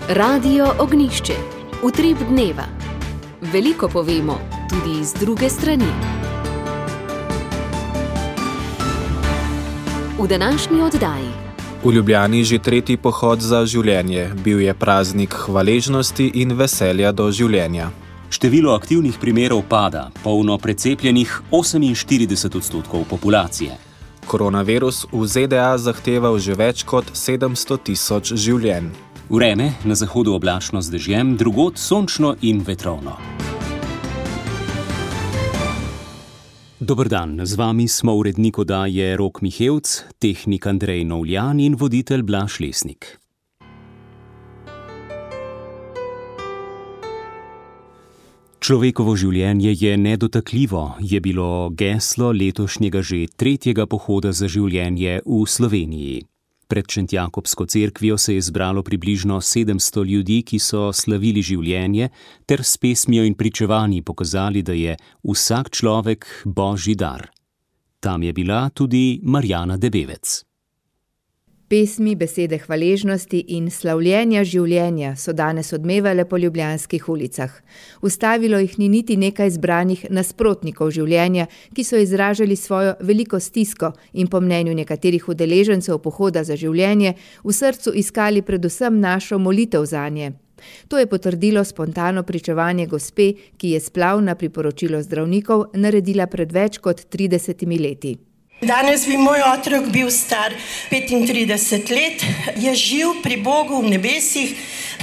Radio Ognjišče. Utrip dneva. Veliko povemo, tudi iz druge strani. V današnji oddaji. V Ljubljani že tretji pohod za življenje. Bil je praznik hvaležnosti in veselja do življenja. Število aktivnih primerov pada, polno precepljenih 48% populacije. Koronavirus v ZDA zahteval že več kot 700 000 življenj. Vreme, na zahodu oblačno z dežjem, drugod sončno in vetrovno. Dober dan, z vami smo urednik oddaje Rok Mihevc, tehnik Andrej Novljan in voditelj Blaž Lesnik. Človekovo življenje je nedotakljivo, je bilo geslo letošnjega že tretjega pohoda za življenje v Sloveniji. Pred Šentjakobsko cerkvijo se je zbralo približno 700 ljudi, ki so slavili življenje, ter s pesmijo in pričevanji pokazali, da je vsak človek božji dar. Tam je bila tudi Marjana Debevec. Pesmi, besede hvaležnosti in slavljenja življenja so danes odmevale po ljubljanskih ulicah. Ustavilo jih ni niti nekaj zbranih nasprotnikov življenja, ki so izražali svojo veliko stisko in po mnenju nekaterih udeležencev pohoda za življenje v srcu iskali predvsem našo molitev zanje. To je potrdilo spontano pričevanje gospe, ki je splav na priporočilo zdravnikov naredila pred več kot 30 leti. Danes bi moj otrok bil star 35 let, je živ pri Bogu v nebesih,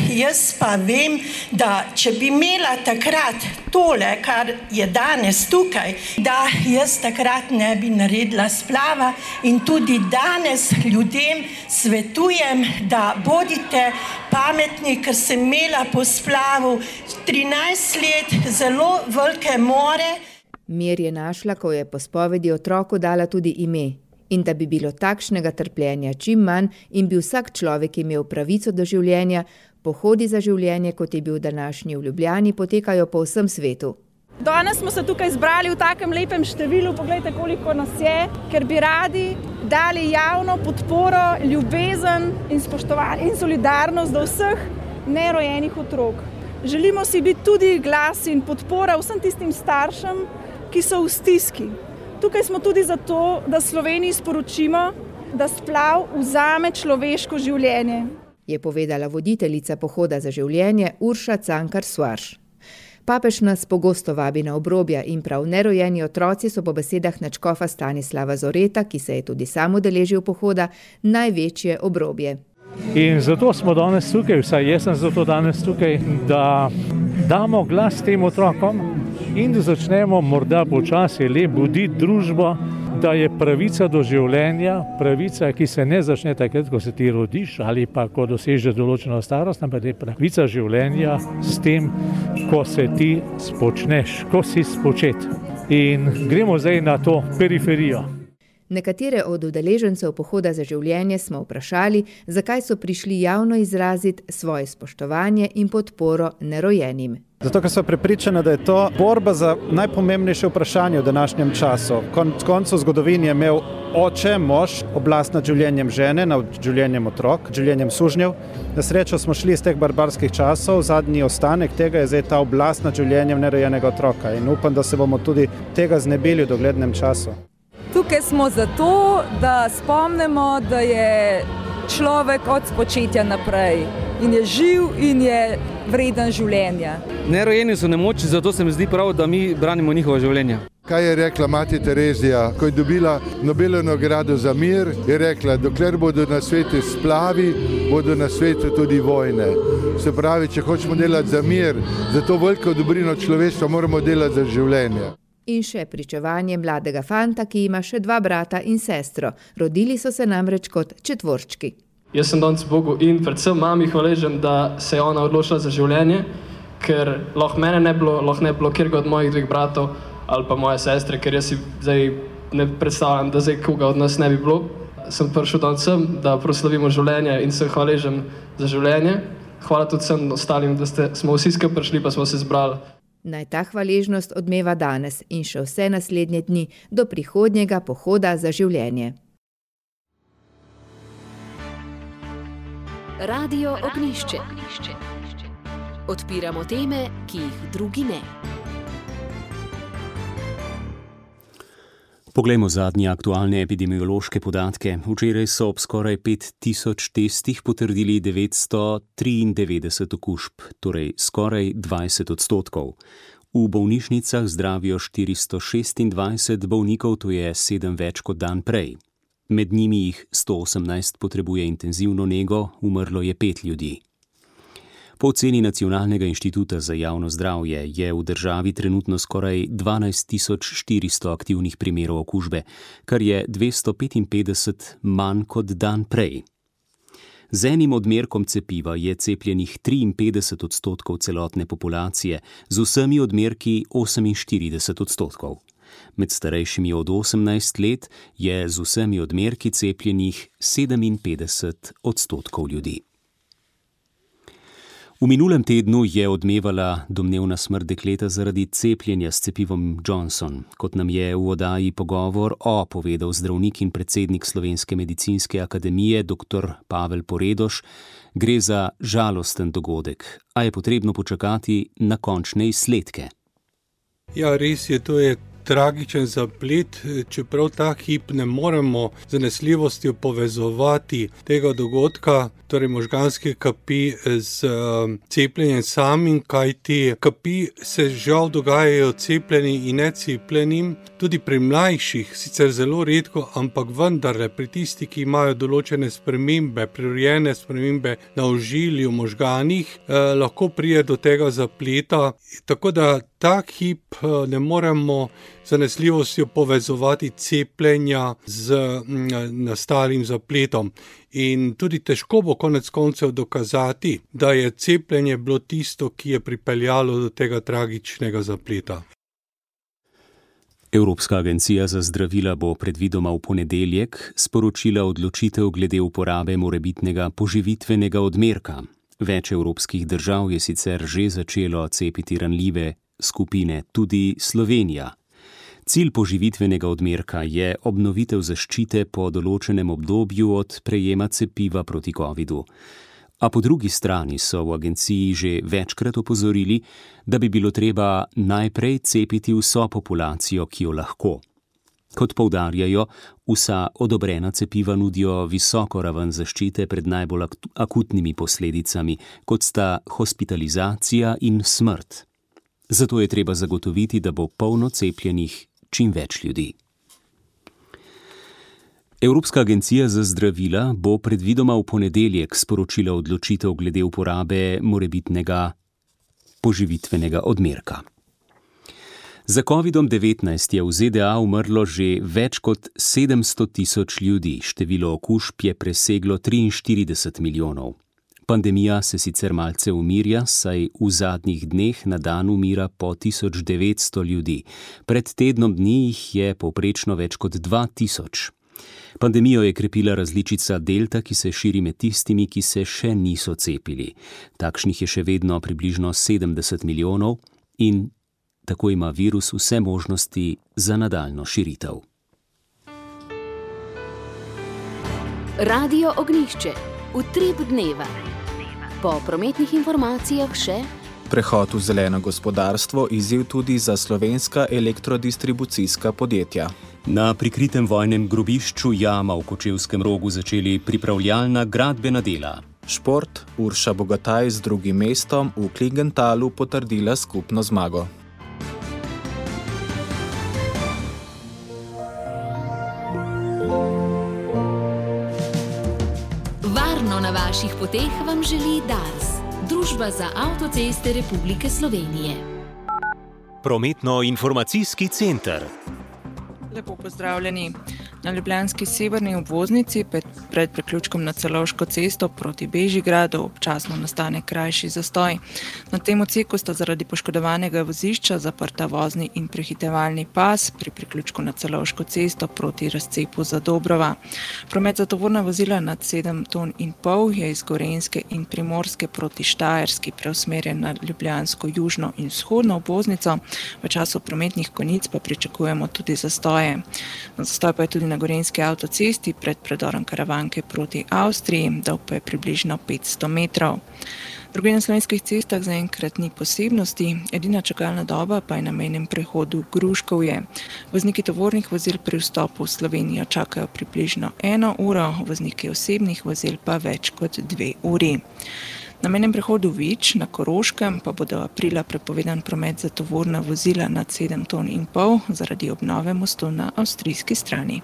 jaz pa vem, da če bi imela takrat tole, kar je danes tukaj, da jaz takrat ne bi naredila splava in tudi danes ljudem svetujem, da bodite pametni, ker sem imela po splavu 13 let zelo velike more. Mir je našla, ko je po spovedi otroku dala tudi ime. In da bi bilo takšnega trpljenja čim manj in bi vsak človek imel pravico do življenja, pohodi za življenje, kot je bil današnji v Ljubljani, potekajo po vsem svetu. Danes smo se tukaj zbrali v takem lepem številu, poglejte, koliko nas je, ker bi radi dali javno podporo, ljubezen in spoštovanje in solidarnost do vseh nerojenih otrok. Želimo si biti tudi glas in podpora vsem tistim staršem, ki so v stiski. Tukaj smo tudi zato, da Sloveniji sporočimo, da splav vzame človeško življenje. Je povedala voditeljica pohoda za življenje Urša Cankar-Svarš. Papež nas pogosto vabi na obrobja in prav nerojeni otroci so po besedah nadškofa Stanislava Zoreta, ki se je tudi sam udeležil pohoda, največje obrobje. In zato smo danes tukaj, vsaj jaz sem zato danes tukaj, da damo glas tem otrokom in da začnemo morda počasi le buditi družbo, da je pravica do življenja, pravica, ki se ne začne takrat, ko se ti rodiš ali pa ko dosežeš določeno starost, ampak je pravica življenja s tem, ko se ti spočneš, ko si spočet. In gremo zdaj na to periferijo. Nekatere od udeležencev pohoda za življenje smo vprašali, zakaj so prišli javno izraziti svoje spoštovanje in podporo nerojenim. Zato, ker so prepričani, da je to borba za najpomembnejše vprašanje v današnjem času. Konec koncev zgodovini je imel oče, mož, oblast nad življenjem žene, nad življenjem otrok, življenjem sužnjev. Na srečo smo šli iz teh barbarskih časov, zadnji ostanek tega je zdaj ta oblast nad življenjem nerojenega otroka in upam, da se bomo tudi tega znebili v doglednem času. Tukaj smo zato, da spomnimo, da je človek od spočetja naprej in je živ in je vreden življenja. Nerojeni so nemočni, zato se mi zdi prav, da mi branimo njihovo življenje. Kaj je rekla mati Terezija, ko je dobila Nobelovo nagrado za mir, je rekla, dokler bodo na svetu splavi, bodo na svetu tudi vojne. Se pravi, če hočemo delati za mir, za to veliko dobrino človeštva, moramo delati za življenje. In še pričevanje mladega fanta, ki ima še 2 brata in sestro. Rodili so se namreč kot četvorčki. Jaz sem danes Bogu in predvsem mami hvaležen, da se je ona odločila za življenje, ker lahko mene ne bilo kjerga od mojih 2 bratov ali pa moje sestre, ker jaz si zdaj ne predstavljam, da zdaj koga od nas ne bi bilo. Sem prišel danes sem, da proslavimo življenje in sem hvaležen za življenje. Hvala tudi vsem ostalim, da smo vsi skupaj prišli, pa smo se zbrali. Naj ta hvaležnost odmeva danes in še vse naslednje dni do prihodnjega pohoda za življenje. Radio Ognjišče. Odpiramo teme, ki jih drugi ne. Poglejmo zadnje aktualne epidemiološke podatke. Včeraj so ob skoraj 5000 testih potrdili 993 okužb, torej skoraj 20%. V bolnišnicah zdravijo 426 bolnikov, to je 7 več kot dan prej. Med njimi jih 118 potrebuje intenzivno nego, umrlo je 5 ljudi. Po oceni Nacionalnega inštituta za javno zdravje je v državi trenutno skoraj 12400 aktivnih primerov okužbe, kar je 255 manj kot dan prej. Z enim odmerkom cepiva je cepljenih 53% celotne populacije, z vsemi odmerki 48%. Med starejšimi od 18 let je z vsemi odmerki cepljenih 57% ljudi. V minulem tednu je odmevala domnevna smrt dekleta zaradi cepljenja s cepivom Johnson. Kot nam je v oddaji Pogovor povedal zdravnik in predsednik Slovenske medicinske akademije dr. Pavel Poredoš, gre za žalosten dogodek, a je potrebno počakati na končne izsledke. Ja, res je, to je tragičen zaplet, čeprav ta hip ne moremo z zanesljivostjo povezovati tega dogodka, torej možganske kapi z cepljenjem samim, kajti kapi se žal dogajajo cepljenim in necepljenim, tudi pri mlajših, sicer zelo redko, ampak vendarle pri tistih, ki imajo določene spremembe, prirojene spremembe na ožilju, možganih, lahko pride do tega zapleta, tako da ta hip ne moremo z zanesljivostjo povezovati cepljenja z nastalim zapletom. In tudi težko bo konec koncev dokazati, da je cepljenje bilo tisto, ki je pripeljalo do tega tragičnega zapleta. Evropska agencija za zdravila bo predvidoma v ponedeljek sporočila odločitev glede uporabe morebitnega poživitvenega odmerka. Več evropskih držav je sicer že začelo cepiti ranljive skupine, tudi Slovenija. Cilj poživitvenega odmerka je obnovitev zaščite po določenem obdobju od prejema cepiva proti covidu. A po drugi strani so v agenciji že večkrat opozorili, da bi bilo treba najprej cepiti vso populacijo, ki jo lahko. Kot poudarjajo, vsa odobrena cepiva nudijo visoko raven zaščite pred najbolj akutnimi posledicami, kot sta hospitalizacija in smrt. Zato je treba zagotoviti, da bo polno cepljenih čim več ljudi. Evropska agencija za zdravila bo predvidoma v ponedeljek sporočila odločitev glede uporabe morebitnega poživitvenega odmerka. Za COVID-19 je v ZDA umrlo že več kot 700 000 ljudi, število okužb je preseglo 43 milijonov. Pandemija se sicer malce umirja, saj v zadnjih dneh na dan umira po 1900 ljudi. Pred tednom dni jih je povprečno več kot 2000. Pandemijo je krepila različica Delta, ki se širi med tistimi, ki se še niso cepili. Takšnih je še vedno približno 70 milijonov in tako ima virus vse možnosti za nadaljnjo širitev. Radio Ognjišče. Utrip dneva. Po prometnih informacijah še prehod v zeleno gospodarstvo, izziv tudi za slovenska elektrodistribucijska podjetja. Na prikritem vojnem grobišču Jama v Kočevskem Rogu začeli pripravljalna gradbena dela. Šport, Urša Bogataj z drugim mestom v Klingentalu potrdila skupno zmago. Varno na vaših poteh vam želi Dars, Družba za avtoceste Republike Slovenije. Prometno-informacijski center. Lepo pozdravljeni. Na ljubljanski severni obvoznici pred priključkom na Celovško cesto proti Bežigradu občasno nastane krajši zastoj. Na tem odseku sta zaradi poškodovanega vozišča zaprta vozni in prehitevalni pas pri priključku na Celovško cesto proti razcepu Zadobrova. Promet za tovorna vozila nad 7,5 ton je iz Gorenjske in Primorske proti Štajerski preusmerjen na ljubljansko južno in vzhodno obvoznico. V času prometnih konic pa pričakujemo tudi zastoje. Zastoj pa je tudi na gorenjski avtocesti pred predorom Karavanke proti Avstriji, dolg pa je približno 500 metrov. Drugje na slovenskih cestah zaenkrat ni posebnosti, edina čakalna doba pa je na mejnem prehodu Gruškovje. Vozniki tovornih vozil pri vstopu v Slovenijo čakajo približno 1 uro, vozniki osebnih vozil pa več kot 2 uri. Na mejnem prehodu Vič na Koroškem pa bo do aprila prepovedan promet za tovorna vozila nad 7,5 ton zaradi obnove mostu na avstrijski strani.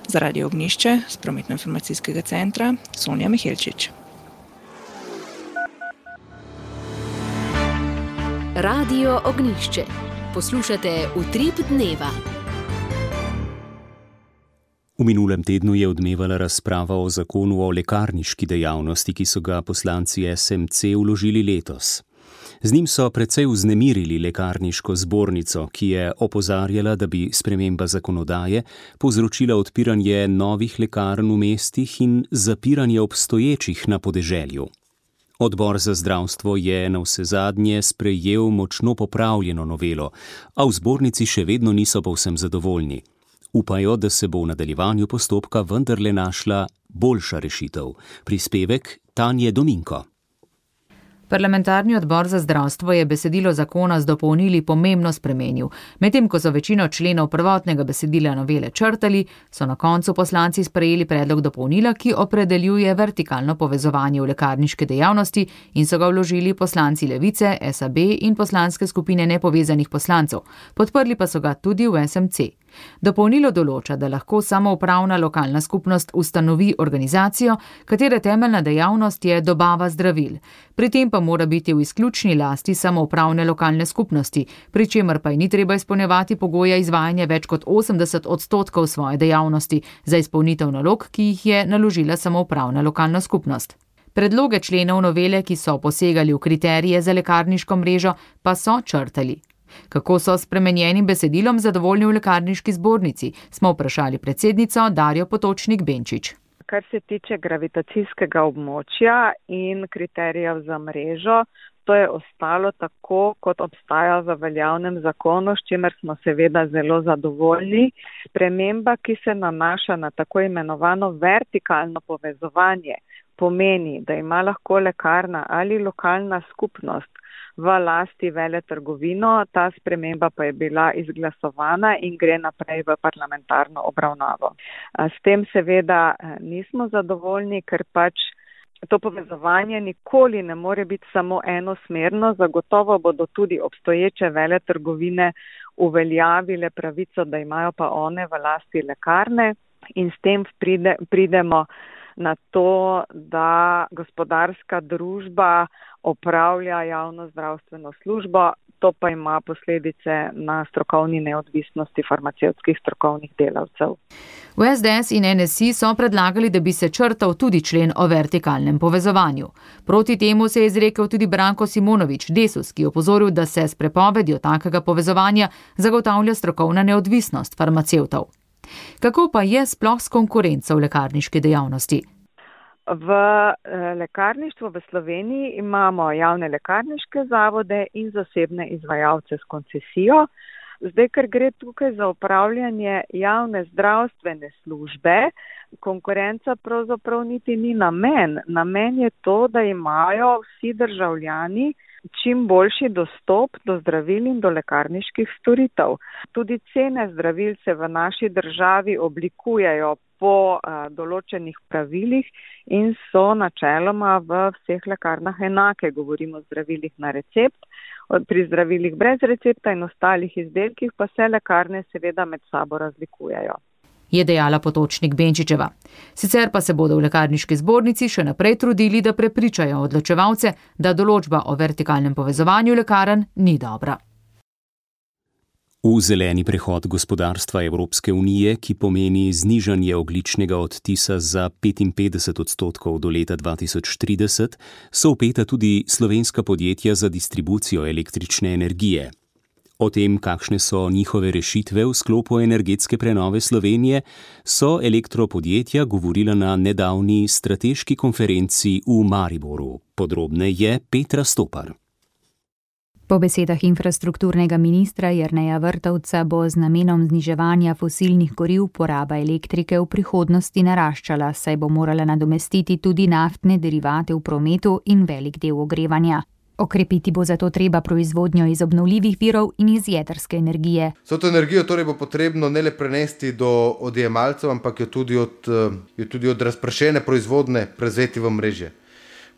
Za Radio Ognjišče z prometno-informacijskega centra Sonja Mihelčič. Radio Ognjišče. Poslušate Utrip dneva. V minulem tednu je odmevala razprava o zakonu o lekarniški dejavnosti, ki so ga poslanci SMC vložili letos. Z njim so precej vznemirili lekarniško zbornico, ki je opozarjala, da bi sprememba zakonodaje povzročila odpiranje novih lekarn v mestih in zapiranje obstoječih na podeželju. Odbor za zdravstvo je navsezadnje sprejel močno popravljeno novelo, a v zbornici še vedno niso povsem zadovoljni. Upajo, da se bo v nadaljevanju postopka vendarle našla boljša rešitev. Prispevek Tanje Dominko. Parlamentarni odbor za zdravstvo je besedilo zakona z dopolnili pomembno spremenil. Medtem ko so večino členov prvotnega besedila novele črtali, so na koncu poslanci sprejeli predlog dopolnila, ki opredeljuje vertikalno povezovanje v lekarniške dejavnosti in so ga vložili poslanci Levice, SAB in poslanske skupine nepovezanih poslancev. Podprli pa so ga tudi v SMC. Dopolnilo določa, da lahko samoupravna lokalna skupnost ustanovi organizacijo, katere temeljna dejavnost je dobava zdravil. Pri tem pa mora biti v izključni lasti samoupravne lokalne skupnosti, pri čemer pa ji ni treba izpolnjevati pogoja izvajanja več kot 80% svoje dejavnosti za izpolnitev nalog, ki jih je naložila samoupravna lokalna skupnost. Predloge členov novele, ki so posegali v kriterije za lekarniško mrežo, pa so črtali. Kako so s spremenjenim besedilom zadovoljni v lekarniški zbornici, smo vprašali predsednico Darjo Potočnik-Benčič. Kar se tiče gravitacijskega območja in kriterijev za mrežo, to je ostalo tako, kot obstaja v veljavnem zakonu, s čimer smo seveda zelo zadovoljni. Sprememba, ki se nanaša na tako imenovano vertikalno povezovanje, pomeni, da ima lahko lekarna ali lokalna skupnost v lasti veletrgovino, ta sprememba pa je bila izglasovana in gre naprej v parlamentarno obravnavo. S tem seveda nismo zadovoljni, ker pač to povezovanje nikoli ne more biti samo enosmerno, zagotovo bodo tudi obstoječe veletrgovine uveljavile pravico, da imajo pa one v lasti lekarne in s tem pridemo na to, da gospodarska družba opravlja javno zdravstveno službo, to pa ima posledice na strokovni neodvisnosti farmacevtskih strokovnih delavcev. V SDS in NSI so predlagali, da bi se črtal tudi člen o vertikalnem povezovanju. Proti temu se je izrekel tudi Branko Simonovič, Desus, ki je opozoril, da se s prepovedjo takega povezovanja zagotavlja strokovna neodvisnost farmacevtov. Kako pa je sploh s konkurenco v lekarniški dejavnosti? V lekarništvu v Sloveniji imamo javne lekarniške zavode in zasebne izvajalce s koncesijo. Zdaj, ker gre tukaj za upravljanje javne zdravstvene službe, konkurenca pravzaprav niti ni namen. Namen je to, da imajo vsi državljani čim boljši dostop do zdravil in do lekarniških storitev. Tudi cene zdravil se v naši državi oblikujejo po določenih pravilih in so načeloma v vseh lekarnah enake. Govorimo o zdravilih na recept, pri zdravilih brez recepta in ostalih izdelkih pa se lekarne seveda med sabo razlikujejo. Je dejala Potočnik-Benčičeva. Sicer pa se bodo v lekarniški zbornici še naprej trudili, da prepričajo odločevalce, da določba o vertikalnem povezovanju lekarn ni dobra. V zeleni prehod gospodarstva Evropske unije, ki pomeni znižanje ogljičnega odtisa za 55% do leta 2030, so vpeta tudi slovenska podjetja za distribucijo električne energije. O tem, kakšne so njihove rešitve v sklopu energetske prenove Slovenije, so elektropodjetja govorila na nedavni strateški konferenci v Mariboru. Podrobneje Petra Stopar. Po besedah infrastrukturnega ministra Jerneja Vrtovca bo z namenom zniževanja fosilnih goriv poraba elektrike v prihodnosti naraščala, saj bo morala nadomestiti tudi naftne derivate v prometu in velik del ogrevanja. Okrepiti bo zato treba proizvodnjo iz obnovljivih virov in iz jedrske energije. Vso to energijo torej bo potrebno ne le prenesti do odjemalcev, ampak jo tudi od razpršene proizvodne prezeti v mreže.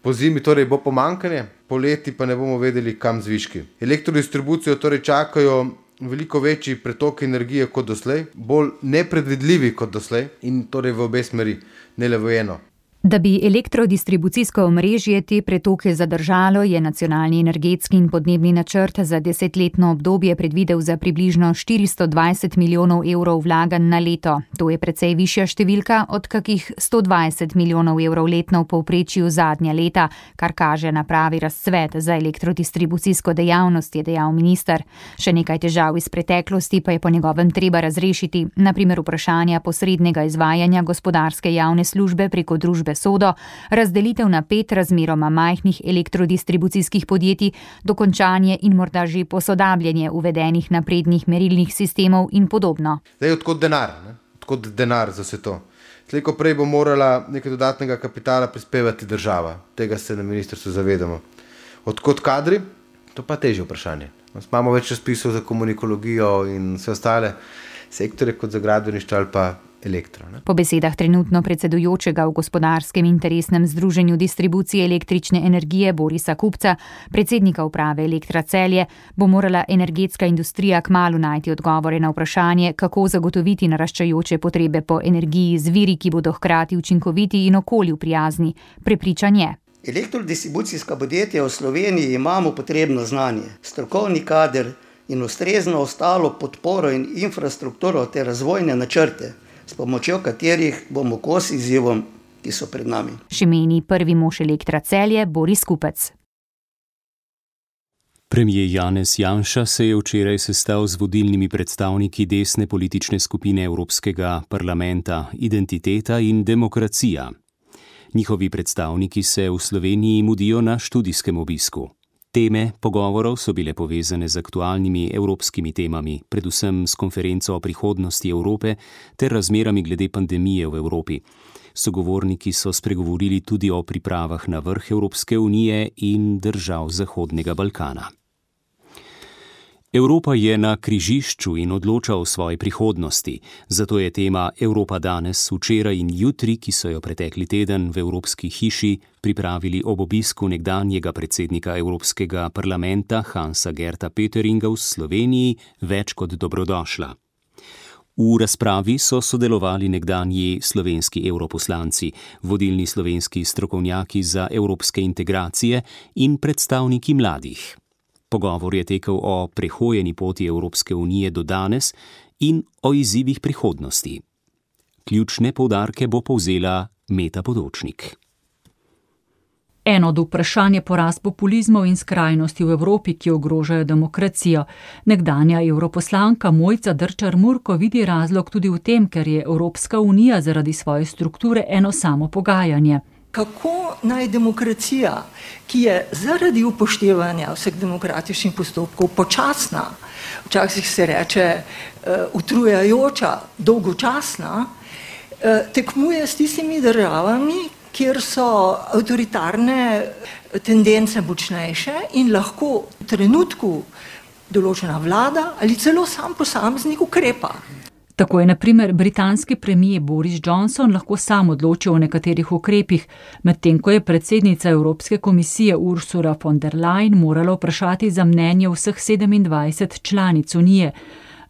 Po zimi torej bo pomanjkanje, poleti pa ne bomo vedeli, kam z viški. Elektrodistribucijo torej čakajo veliko večji pretok energije kot doslej, bolj nepredvidljivi kot doslej in torej v obe smeri, ne le v eno. Da bi elektrodistribucijsko omrežje te pretoke zadržalo, je nacionalni energetski in podnebni načrt za 10-letno obdobje predvidel za približno 420 milijonov evrov vlaganj na leto. To je precej višja številka od kakih 120 milijonov evrov letno v povprečju zadnja leta, kar kaže na pravi razcvet za elektrodistribucijsko dejavnost, je dejal minister. Še nekaj težav iz preteklosti pa je po njegovem treba razrešiti, na primer vprašanja posrednega izvajanja gospodarske javne službe preko družbe Sodo, razdelitev na 5 razmeroma majhnih elektrodistribucijskih podjetij, dokončanje in morda že posodabljanje uvedenih naprednih merilnih sistemov in podobno. Zdaj, odkot denar za vse to? Slejko prej bo morala nekaj dodatnega kapitala prispevati država. Tega se na ministrstvu zavedamo. Odkot kadri? To pa težje vprašanje. Imamo več razpisov za komunikologijo in vse ostale sektore kot za gradbeništvo ali pa elektro. Po besedah trenutno predsedujočega v gospodarskem interesnem združenju distribucije električne energije Borisa Kupca, predsednika uprave Elektra Celje, bo morala energetska industrija kmalu najti odgovore na vprašanje, kako zagotoviti naraščajoče potrebe po energiji z viri, ki bodo hkrati učinkoviti in okolju prijazni. Prepričan je. Elektrodistribucijska podjetja v Sloveniji imamo potrebno znanje, strokovni kader in ustrezno ostalo podporo in infrastrukturo ter razvojne načrte, s pomočjo katerih bomo kos izzivom, ki so pred nami. Še meni prvi mož Elektra Celje Boris Kupec. Premier Janez Janša se je včeraj sestal z vodilnimi predstavniki desne politične skupine Evropskega parlamenta Identiteta in demokracija. Njihovi predstavniki se v Sloveniji mudijo na študijskem obisku. Teme pogovorov so bile povezane z aktualnimi evropskimi temami, predvsem s konferenco o prihodnosti Evrope ter razmerami glede pandemije v Evropi. Sogovorniki so spregovorili tudi o pripravah na vrh Evropske unije in držav Zahodnega Balkana. Evropa je na križišču in odloča o svoji prihodnosti, zato je tema Evropa danes, včeraj in jutri, ki so jo pretekli teden v Evropski hiši pripravili ob obisku nekdanjega predsednika Evropskega parlamenta Hansa Gerta Pötteringa v Sloveniji, več kot dobrodošla. V razpravi so sodelovali nekdanji slovenski evroposlanci, vodilni slovenski strokovnjaki za evropske integracije in predstavniki mladih. Pogovor je tekel o prehojeni poti Evropske unije do danes in o izzivih prihodnosti. Ključne poudarke bo povzela Meta Podočnik. Eno od vprašanj je porast populizmov in skrajnosti v Evropi, ki ogrožajo demokracijo. Nekdanja evroposlanka Mojca Drčar-Murko vidi razlog tudi v tem, ker je Evropska unija zaradi svoje strukture eno samo pogajanje. Kako naj demokracija, ki je zaradi upoštevanja vseh demokratičnih postopkov počasna, včasih se reče utrujajoča, dolgočasna, tekmuje s tistimi državami, kjer so avtoritarne tendence močnejše in lahko v trenutku določena vlada ali celo sam posameznik ukrepa. Tako je na primer britanski premier Boris Johnson lahko sam odločil o nekaterih ukrepih, medtem ko je predsednica Evropske komisije Ursula von der Leyen morala vprašati za mnenje vseh 27 članic unije.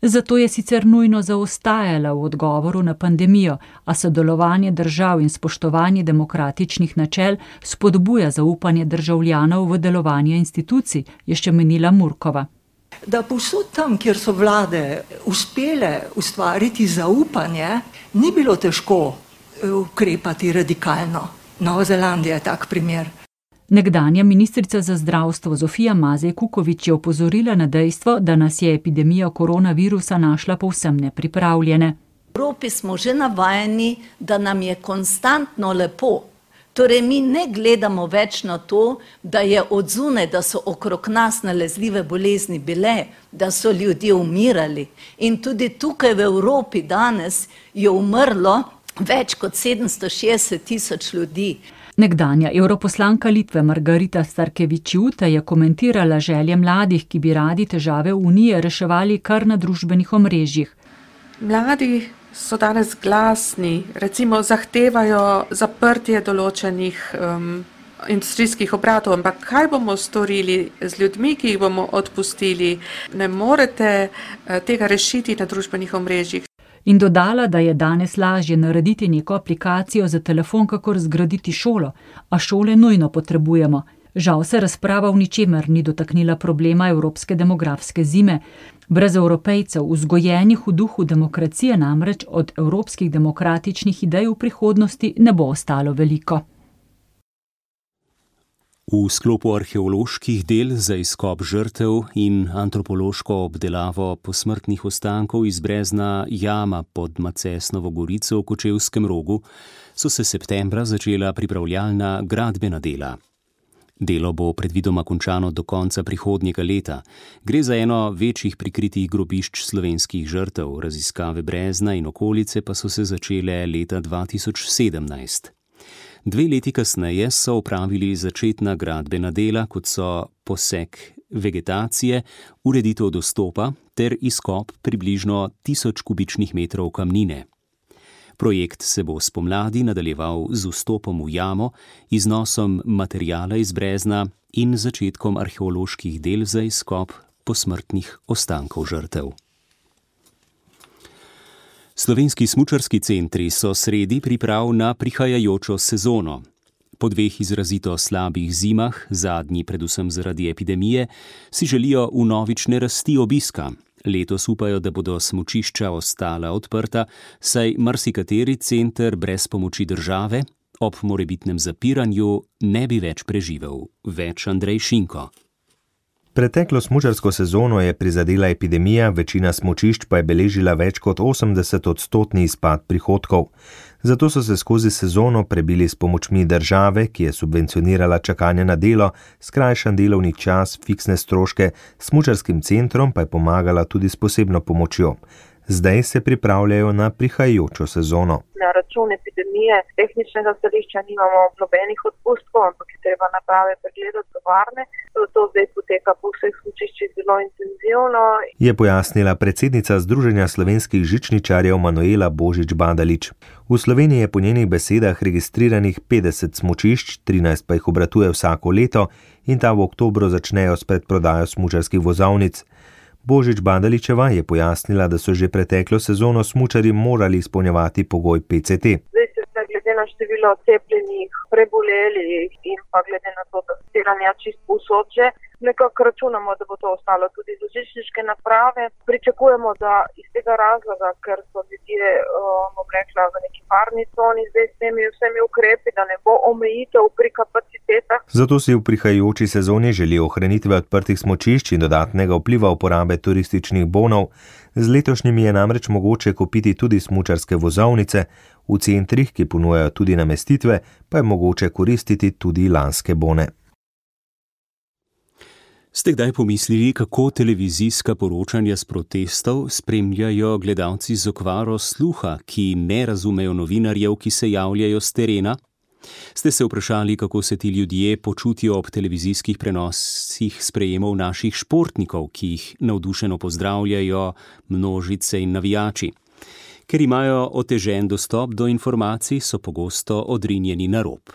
Zato je sicer nujno zaostajala v odgovoru na pandemijo, a sodelovanje držav in spoštovanje demokratičnih načel spodbuja zaupanje državljanov v delovanje institucij, je še menila Murkova. Da povsod tam, kjer so vlade uspele ustvariti zaupanje, ni bilo težko ukrepati radikalno. Nova Zelandija je tak primer. Nekdanja ministrica za zdravstvo Zofija Mazej Kukovič je opozorila na dejstvo, da nas je epidemija koronavirusa našla povsem nepripravljene. V Evropi smo že navajeni, da nam je konstantno lepo. Torej, mi ne gledamo več na to, da je odzune, da so okrog nas nalezljive bolezni bile, da so ljudje umirali. In tudi tukaj v Evropi danes je umrlo več kot 760 000 ljudi. Nekdanja europoslanka Litve Margarita Starkevičiūtė je komentirala želje mladih, ki bi radi težave Unije reševali kar na družbenih omrežjih. Mladi so danes glasni, recimo zahtevajo zaprtje določenih industrijskih obratov, ampak kaj bomo storili z ljudmi, ki jih bomo odpustili? Ne morete tega rešiti na družbenih omrežjih. In dodala, da je danes lažje narediti neko aplikacijo za telefon, kakor zgraditi šolo, a šole nujno potrebujemo. Žal se razprava v ničemer ni dotaknila problema evropske demografske zime. Brez Evropejcev, vzgojenih v duhu demokracije, namreč od evropskih demokratičnih idej v prihodnosti ne bo ostalo veliko. V sklopu arheoloških del za izkop žrtev in antropološko obdelavo posmrtnih ostankov iz brezna Jama pod Macesnovo gorico v Kočevskem Rogu so se septembra začela pripravljalna gradbena dela. Delo bo predvidoma končano do konca prihodnjega leta. Gre za eno večjih prikritih grobišč slovenskih žrtev, raziskave brezna in okolice pa so se začele leta 2017. 2 leti kasneje so opravili začetna gradbena dela, kot so posek vegetacije, ureditev dostopa ter izkop približno 1000 kubičnih metrov kamnine. Projekt se bo spomladi nadaljeval z vstopom v jamo, iznosom materijala iz brezna in začetkom arheoloških del za izkop posmrtnih ostankov žrtev. Slovenski smučarski centri so sredi priprav na prihajajočo sezono. Po 2 izrazito slabih zimah, zadnji predvsem zaradi epidemije, si želijo vnovične rasti obiska. Letos upajo, da bodo smučišča ostala odprta, saj marsikateri center brez pomoči države ob morebitnem zapiranju ne bi več preživel. Več Andrej Šinko. Preteklo smučarsko sezono je prizadela epidemija, večina smučišč pa je beležila več kot 80% izpad prihodkov. Zato so se skozi sezono prebili s pomočmi države, ki je subvencionirala čakanje na delo, skrajšan delovni čas, fiksne stroške, smučarskim centrom pa je pomagala tudi s posebno pomočjo. Zdaj se pripravljajo na prihajajočo sezono. Na račun epidemije tehničnega stališča nimamo nobenih odpustkov, ampak je treba naprave pregledati tovarne. To zdaj poteka po vseh smučiščih zelo intenzivno. Je pojasnila predsednica Združenja slovenskih žičničarjev Manuela Božič-Badalič. V Sloveniji je po njenih besedah registriranih 50 smučišč, 13 pa jih obratuje vsako leto in ta v oktobru začnejo s predprodajo smučarskih vozovnic. Božič-Badaličeva je pojasnila, da so že preteklo sezono smučarji morali izpolnjevati pogoj PCT. Zdaj se glede na število cepljenih, prebolelih in pa glede na to, da testiranja čisto povsod že, nekako računamo, da bo to ostalo tudi za žičniške naprave. Pričakujemo, da iz tega razloga, ker so ljudje, bom rekla, v neki varni coni zdaj s temi vsemi ukrepi, da ne bo omejitev pri kapacitetah. Zato si v prihajajoči sezoni želi ohranitve odprtih smučišč in dodatnega vpliva uporabe turističnih bonov. Z letošnjimi je namreč mogoče kupiti tudi smučarske vozovnice, v centrih, ki ponujajo tudi namestitve, pa je mogoče koristiti tudi lanske bone. Ste kdaj pomislili, kako televizijska poročanja s protestov spremljajo gledalci z okvaro sluha, ki ne razumejo novinarjev, ki se javljajo s terena? Ste se vprašali, kako se ti ljudje počutijo ob televizijskih prenosih sprejemov naših športnikov, ki jih navdušeno pozdravljajo množice in navijači? Ker imajo otežen dostop do informacij, so pogosto odrinjeni na rob.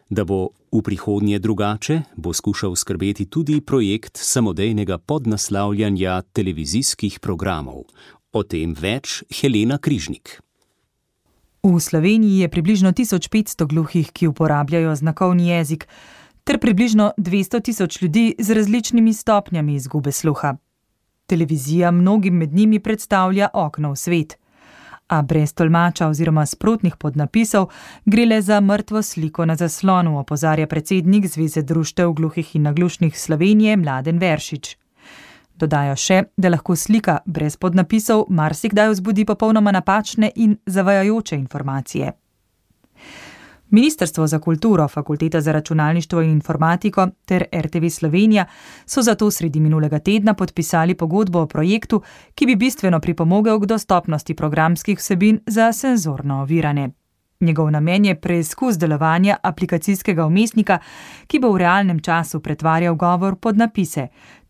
Da bo v prihodnje drugače, bo skušal skrbeti tudi projekt samodejnega podnaslavljanja televizijskih programov. O tem več Helena Križnik. V Sloveniji je približno 1500 gluhih, ki uporabljajo znakovni jezik, ter približno 200 000 ljudi z različnimi stopnjami izgube sluha. Televizija mnogim med njimi predstavlja okno v svet. A brez tolmača oziroma sprotnih podnapisov gre le za mrtvo sliko na zaslonu, opozarja predsednik Zveze društev gluhih in naglušnih Slovenije Mladen Veršič. Dodajo še, da lahko slika brez podnapisov marsikdaj vzbudi popolnoma napačne in zavajajoče informacije. Ministrstvo za kulturo, Fakulteta za računalništvo in informatiko ter RTV Slovenija so zato sredi minulega tedna podpisali pogodbo o projektu, ki bi bistveno pripomogel k dostopnosti programskih vsebin za senzorno ovirane. Njegov namen je preizkus delovanja aplikacijskega vmesnika, ki bo v realnem času pretvarjal govor pod napise.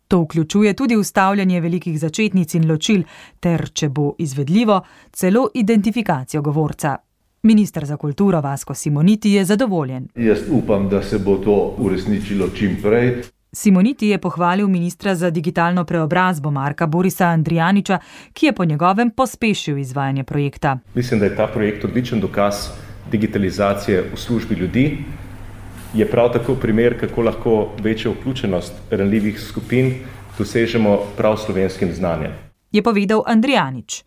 To vključuje tudi vstavljanje velikih začetnic in ločil ter, če bo izvedljivo, celo identifikacijo govorca. Minister za kulturo Vasko Simoniti je zadovoljen. Jaz upam, da se bo to uresničilo čim prej. Simoniti je pohvalil ministra za digitalno preobrazbo Marka Borisa Andrijaniča, ki je po njegovem pospešil izvajanje projekta. Mislim, da je ta projekt odličen dokaz digitalizacije v službi ljudi. Je prav tako primer, kako lahko večjo vključenost ranljivih skupin dosežemo prav slovenskim znanjem. Je povedal Andrijanič.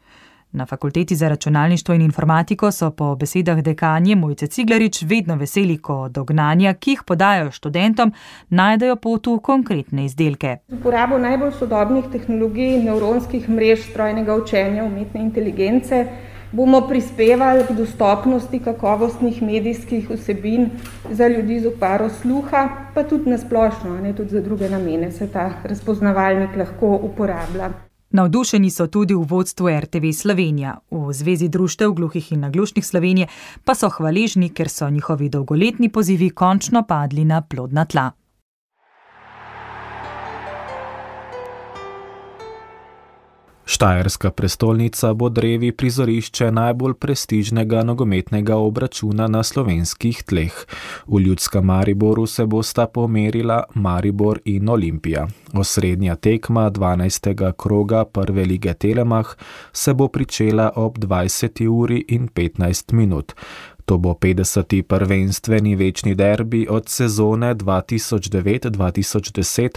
Na Fakulteti za računalništvo in informatiko so po besedah dekanje Mojce Ciglarič vedno veseli, ko dognanja, ki jih podajo študentom, najdejo pot v konkretne izdelke. Z uporabo najbolj sodobnih tehnologij, nevronskih mrež, strojnega učenja, umetne inteligence bomo prispevali k dostopnosti kakovostnih medijskih vsebin za ljudi z okvaro sluha, pa tudi na splošno, tudi za druge namene se ta razpoznavalnik lahko uporablja. Navdušeni so tudi v vodstvu RTV Slovenija. V Zvezi društev gluhih in naglušnih Slovenije pa so hvaležni, ker so njihovi dolgoletni pozivi končno padli na plodna tla. Štajerska prestolnica bo drevi prizorišče najbolj prestižnega nogometnega obračuna na slovenskih tleh. V Ljudskem Mariboru se bosta pomerila Maribor in Olimpija. Osrednja tekma 12. kroga prve lige Telemach se bo pričela ob 20:15. To bo 50. prvenstveni večni derbi od sezone 2009-2010,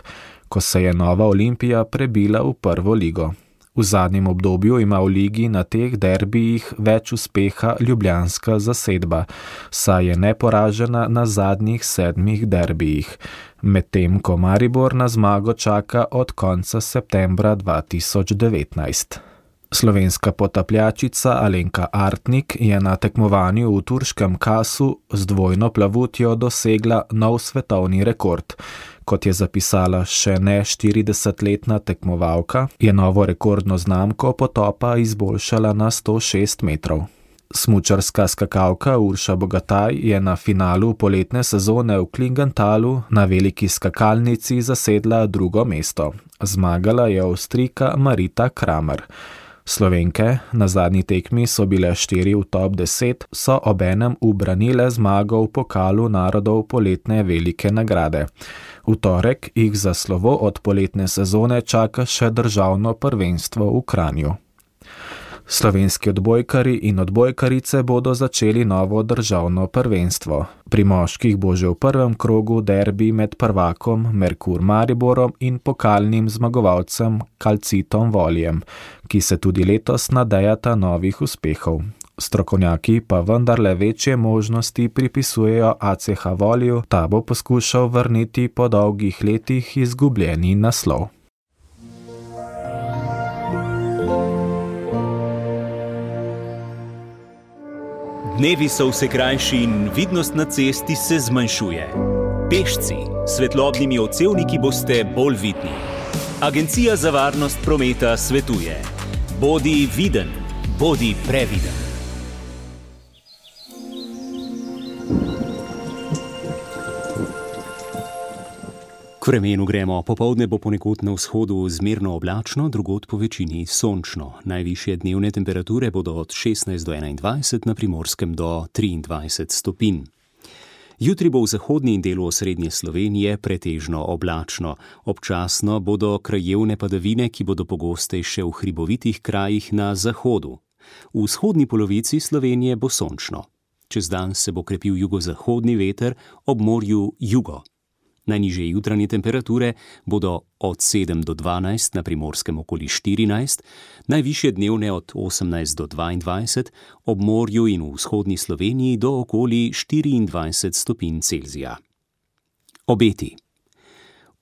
ko se je Nova Olimpija prebila v prvo ligo. V zadnjem obdobju ima v ligi na teh derbijih več uspeha ljubljanska zasedba, saj je neporažena na zadnjih 7 derbijih, medtem ko Maribor na zmago čaka od konca septembra 2019. Slovenska potapljačica Alenka Artnik je na tekmovanju v turškem Kasu z dvojno plavutjo dosegla nov svetovni rekord. Kot je zapisala še ne 40-letna tekmovalka, je novo rekordno znamko potopa izboljšala na 106 metrov. Smučarska skakalka Urša Bogataj je na finalu poletne sezone v Klingentalu na veliki skakalnici zasedla drugo mesto. Zmagala je Avstrijka Marita Kramer. Slovenke, na zadnji tekmi so bile 4 v top 10, so obenem ubranile zmago v pokalu narodov poletne velike nagrade. V torek jih za slovo od poletne sezone čaka še državno prvenstvo v Kranju. Slovenski odbojkari in odbojkarice bodo začeli novo državno prvenstvo. Pri moških bo že v prvem krogu derbi med prvakom Merkur Mariborom in pokalnim zmagovalcem Calcitom Voljem, ki se tudi letos nadejata novih uspehov. Strokovnjaki pa vendarle večje možnosti pripisujejo ACH Volju, ta bo poskušal vrniti po dolgih letih izgubljeni naslov. Dnevi so vse krajši in vidnost na cesti se zmanjšuje. Pešci, svetlobnimi odsevniki boste bolj vidni. Agencija za varnost prometa svetuje: bodi viden, bodi previden. K vremenu gremo. Popoldne bo ponekod na vzhodu zmerno oblačno, drugod po večini sončno. Najvišje dnevne temperature bodo od 16 do 21, na Primorskem do 23 stopinj. Jutri bo v zahodni delu osrednje Slovenije pretežno oblačno. Občasno bodo krajevne padavine, ki bodo pogostejše v hribovitih krajih na zahodu. V vzhodni polovici Slovenije bo sončno. Čez dan se bo krepil jugozahodni veter, ob morju jugo. Najnižje jutranje temperature bodo od 7 do 12, na Primorskem okoli 14, najvišje dnevne od 18 do 22, ob morju in v vzhodni Sloveniji do okoli 24 stopinj Celzija. Obeti.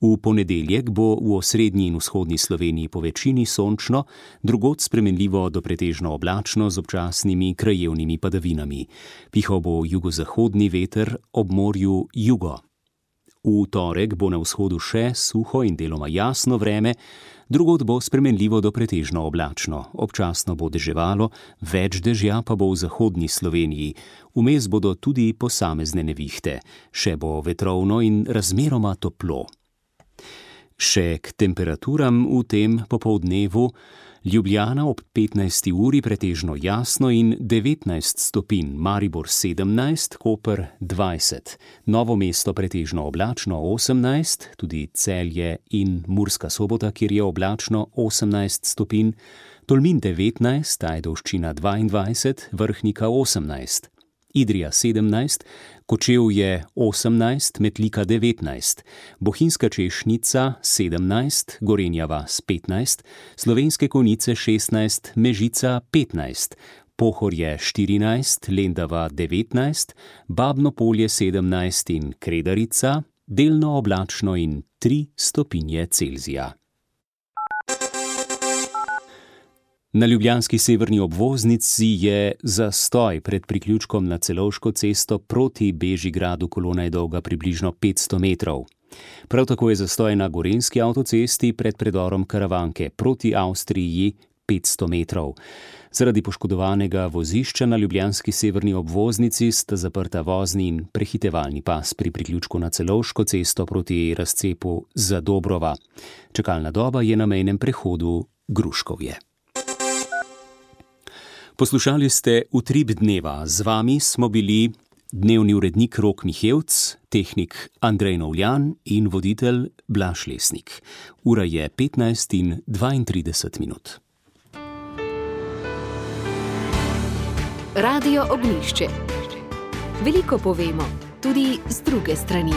V ponedeljek bo v osrednji in vzhodni Sloveniji po večini sončno, drugod spremenljivo do pretežno oblačno z občasnimi krajevnimi padavinami. Pihal bo jugozahodni veter, ob morju jugo. V torek bo na vzhodu še suho in deloma jasno vreme, drugod bo spremenljivo do pretežno oblačno. Občasno bo deževalo, več dežja pa bo v zahodni Sloveniji. Vmes bodo tudi posamezne nevihte. Še bo vetrovno in razmeroma toplo. Še k temperaturam v tem popoldnevu. Ljubljana ob 15. uri pretežno jasno in 19 stopinj, Maribor 17, Koper 20, Novo mesto pretežno oblačno 18, tudi Celje in Murska Sobota, kjer je oblačno 18 stopinj, Tolmin 19, Ajdovščina 22, Vrhnika 18, Idrija 17, Kočevje 18, Metlika 19, Bohinjska Češnica 17, Gorenja vas 15, Slovenske Konjice 16, Mežica 15, Pohorje 14, Lendava 19, Babno Polje 17 in Kredarica, delno oblačno in 3 stopinje Celzija. Na ljubljanski severni obvoznici je zastoj pred priključkom na Celovško cesto proti Bežigradu, kolona je dolga približno 500 metrov. Prav tako je zastoj na Gorenjski avtocesti pred predorom Karavanke proti Avstriji 500 metrov. Zaradi poškodovanega vozišča na ljubljanski severni obvoznici sta zaprta vozni in prehitevalni pas pri priključku na Celovško cesto proti razcepu Zadobrova. Čakalna doba je na mejnem prehodu Gruškovje. Poslušali ste Utrip dneva. Z vami smo bili dnevni urednik Rok Mihevc, tehnik Andrej Novljan in voditelj Blaž Lesnik. Ura je 15:32 minut. Radio Ognjišče. Veliko povemo, tudi z druge strani.